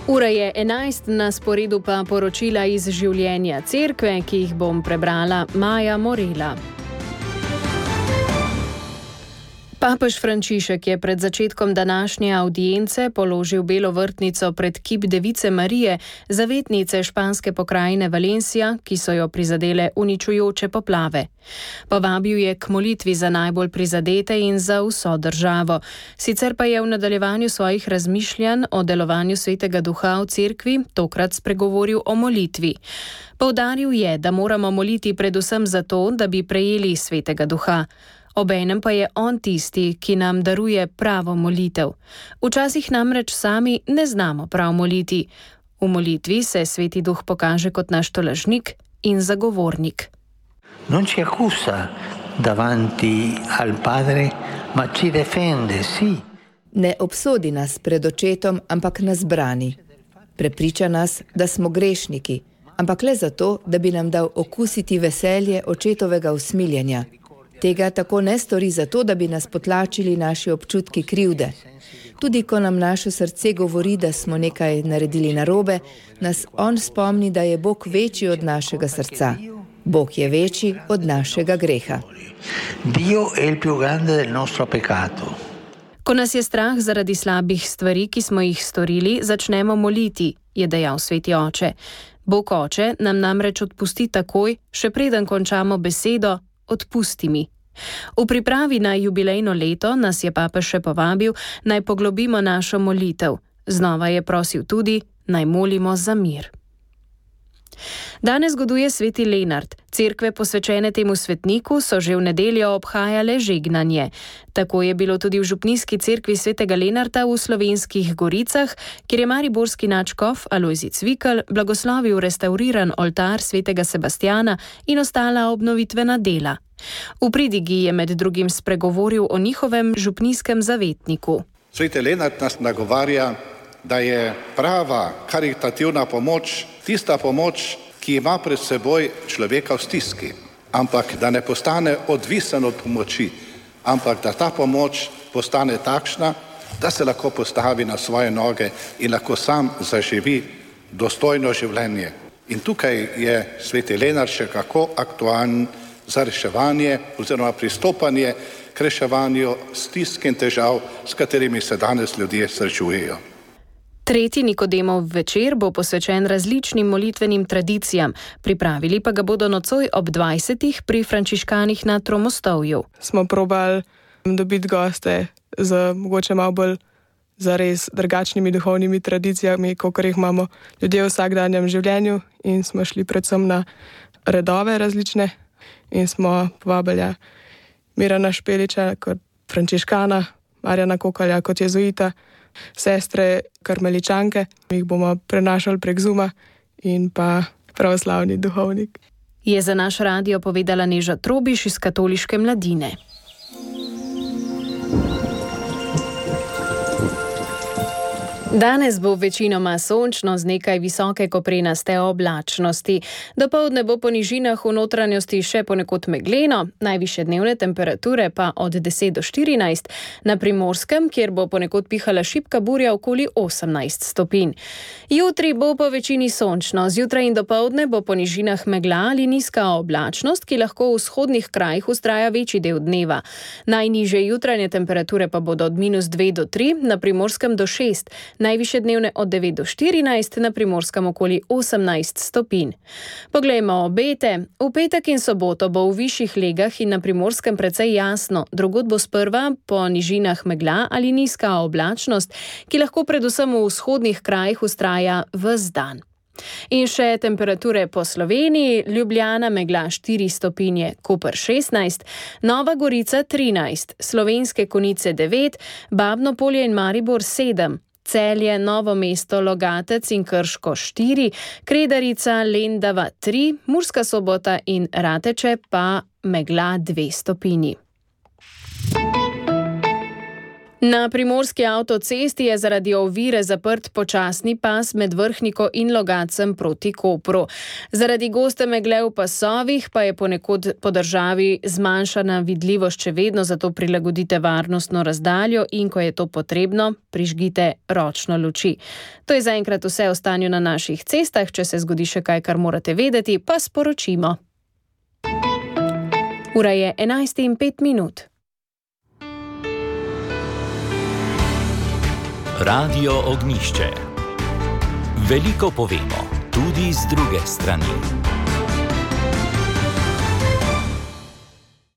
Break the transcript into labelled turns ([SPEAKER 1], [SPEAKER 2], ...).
[SPEAKER 1] Ura je 11, na sporedu pa poročila iz življenja cerkve, ki jih bom prebrala Maja Morela. Papež Frančišek je pred začetkom današnje avdience položil belo vrtnico pred kip Device Marije, zavetnice španske pokrajine Valencia, ki so jo prizadele uničujoče poplave. Povabil je k molitvi za najbolj prizadete in za vso državo. Sicer pa je v nadaljevanju svojih razmišljanj o delovanju Svetega Duha v cerkvi tokrat spregovoril o molitvi. Poudaril je, da moramo moliti predvsem zato, da bi prejeli Svetega Duha. Obenem pa je on tisti, ki nam daruje pravo molitev. Včasih namreč sami ne znamo prav moliti. V molitvi se Sveti Duh pokaže kot naš tolažnik in zagovornik.
[SPEAKER 2] Non ci accusa davanti al Padre, ma ci defende, sì.
[SPEAKER 3] Ne obsodi nas pred očetom, ampak nas brani. Prepriča nas, da smo grešniki, ampak le zato, da bi nam dal okusiti veselje očetovega usmiljenja. Tega tako ne stori zato, da bi nas potlačili naši občutki krivde. Tudi ko nam naše srce govori, da smo nekaj naredili narobe, nas on spomni, da je Bog večji od našega srca. Bog je večji od našega greha.
[SPEAKER 2] Dio è il più grande del nostro peccato.
[SPEAKER 1] Ko nas je strah zaradi slabih stvari, ki smo jih storili, začnemo moliti, je dejal Sveti Oče. Bog Oče nam namreč odpusti takoj, še preden končamo besedo, odpusti mi. V pripravi na jubilejno leto nas je papež še povabil, naj poglobimo našo molitev. Znova je prosil tudi, naj molimo za mir. Danes goduje sveti Lenart. Cerkve posvečene temu svetniku so že v nedeljo obhajale žegnanje. Tako je bilo tudi v župnijski cerkvi svetega Lenarta v Slovenskih Goricah, kjer je mariborski nadškof Alojzij Cvikl blagoslovil restauriran oltar svetega Sebastjana in ostala obnovitvena dela. V pridigi je med drugim spregovoril o njihovem župnijskem zavetniku.
[SPEAKER 4] Sveti Lenart nas nagovarja, da je prava karitativna pomoč tista pomoč, ki ima pred seboj človeka v stiski, ampak da ne postane odvisen od pomoči, ampak da ta pomoč postane takšna, da se lahko postavi na svoje noge in lahko sam zaživi dostojno življenje. In tukaj je sveti Lenart še kako aktualen za reševanje oziroma pristopanje k reševanju stisk in težav, s katerimi se danes ljudje srečujejo.
[SPEAKER 1] Tretji Nikodemov večer bo posvečen različnim molitvenim tradicijam, pripravili pa ga bodo nocoj ob 20. pri frančiškanih na Tromostovju.
[SPEAKER 5] Smo probali dobiti goste z mogoče malo bolj zares drugačnimi duhovnimi tradicijami, kakor jih imamo ljudje v vsakdanjem življenju, in smo šli predvsem na redove različne in smo povabili Mirana Špeliča kot frančiškana, Marjana Kokalja kot jezuita, sestre karmeličanke, jih bomo prenašali prek Zooma, in pa pravoslavni duhovnik.
[SPEAKER 1] Je za naš radio povedala Neža Trobiš iz Katoliške mladine. Danes bo večinoma sončno z nekaj visoke koprenaste oblačnosti. Dopoldne bo po nižinah v notranjosti še ponekod megleno, najvišje dnevne temperature pa od 10 do 14, na Primorskem, kjer bo ponekod pihala šibka burja, okoli 18 stopinj. Jutri bo po večini sončno, zjutraj in dopoldne bo po nižinah megla ali nizka oblačnost, ki lahko v vzhodnih krajih vztraja večji del dneva. Najnižje jutranje temperature pa bodo od -2 do 3, na Primorskem do 6, najvišje dnevne od 9 do 14, na Primorskem okoli 18 stopinj. Poglejmo obete. V petek in soboto bo v višjih legah in na Primorskem precej jasno, drugod bo sprva po nižinah megla ali nizka oblačnost, ki lahko predvsem v vzhodnih krajih vztraja ves dan. In še temperature po Sloveniji: Ljubljana megla 4 stopinje, Koper 16, Nova Gorica 13, Slovenske Konjice 9, Babno Polje in Maribor 7, Celje, Novo mesto, Logatec in Krško 4, Kredarica, Lendava 3, Murska Sobota in Rateče pa megla 2 stopinji. Na primorski avtocesti je zaradi ovire zaprt počasni pas med Vrhniko in Logatcem proti Kopru. Zaradi goste megle v pasovih pa je ponekod po državi zmanjšana vidljivost še vedno, zato prilagodite varnostno razdaljo in ko je to potrebno, prižgite ročno luči. To je zaenkrat vse o stanju na naših cestah. Če se zgodi še kaj, kar morate vedeti, pa sporočimo. Ura je 11:05.
[SPEAKER 6] Radio Ognjišče. Veliko povemo, tudi z druge strani.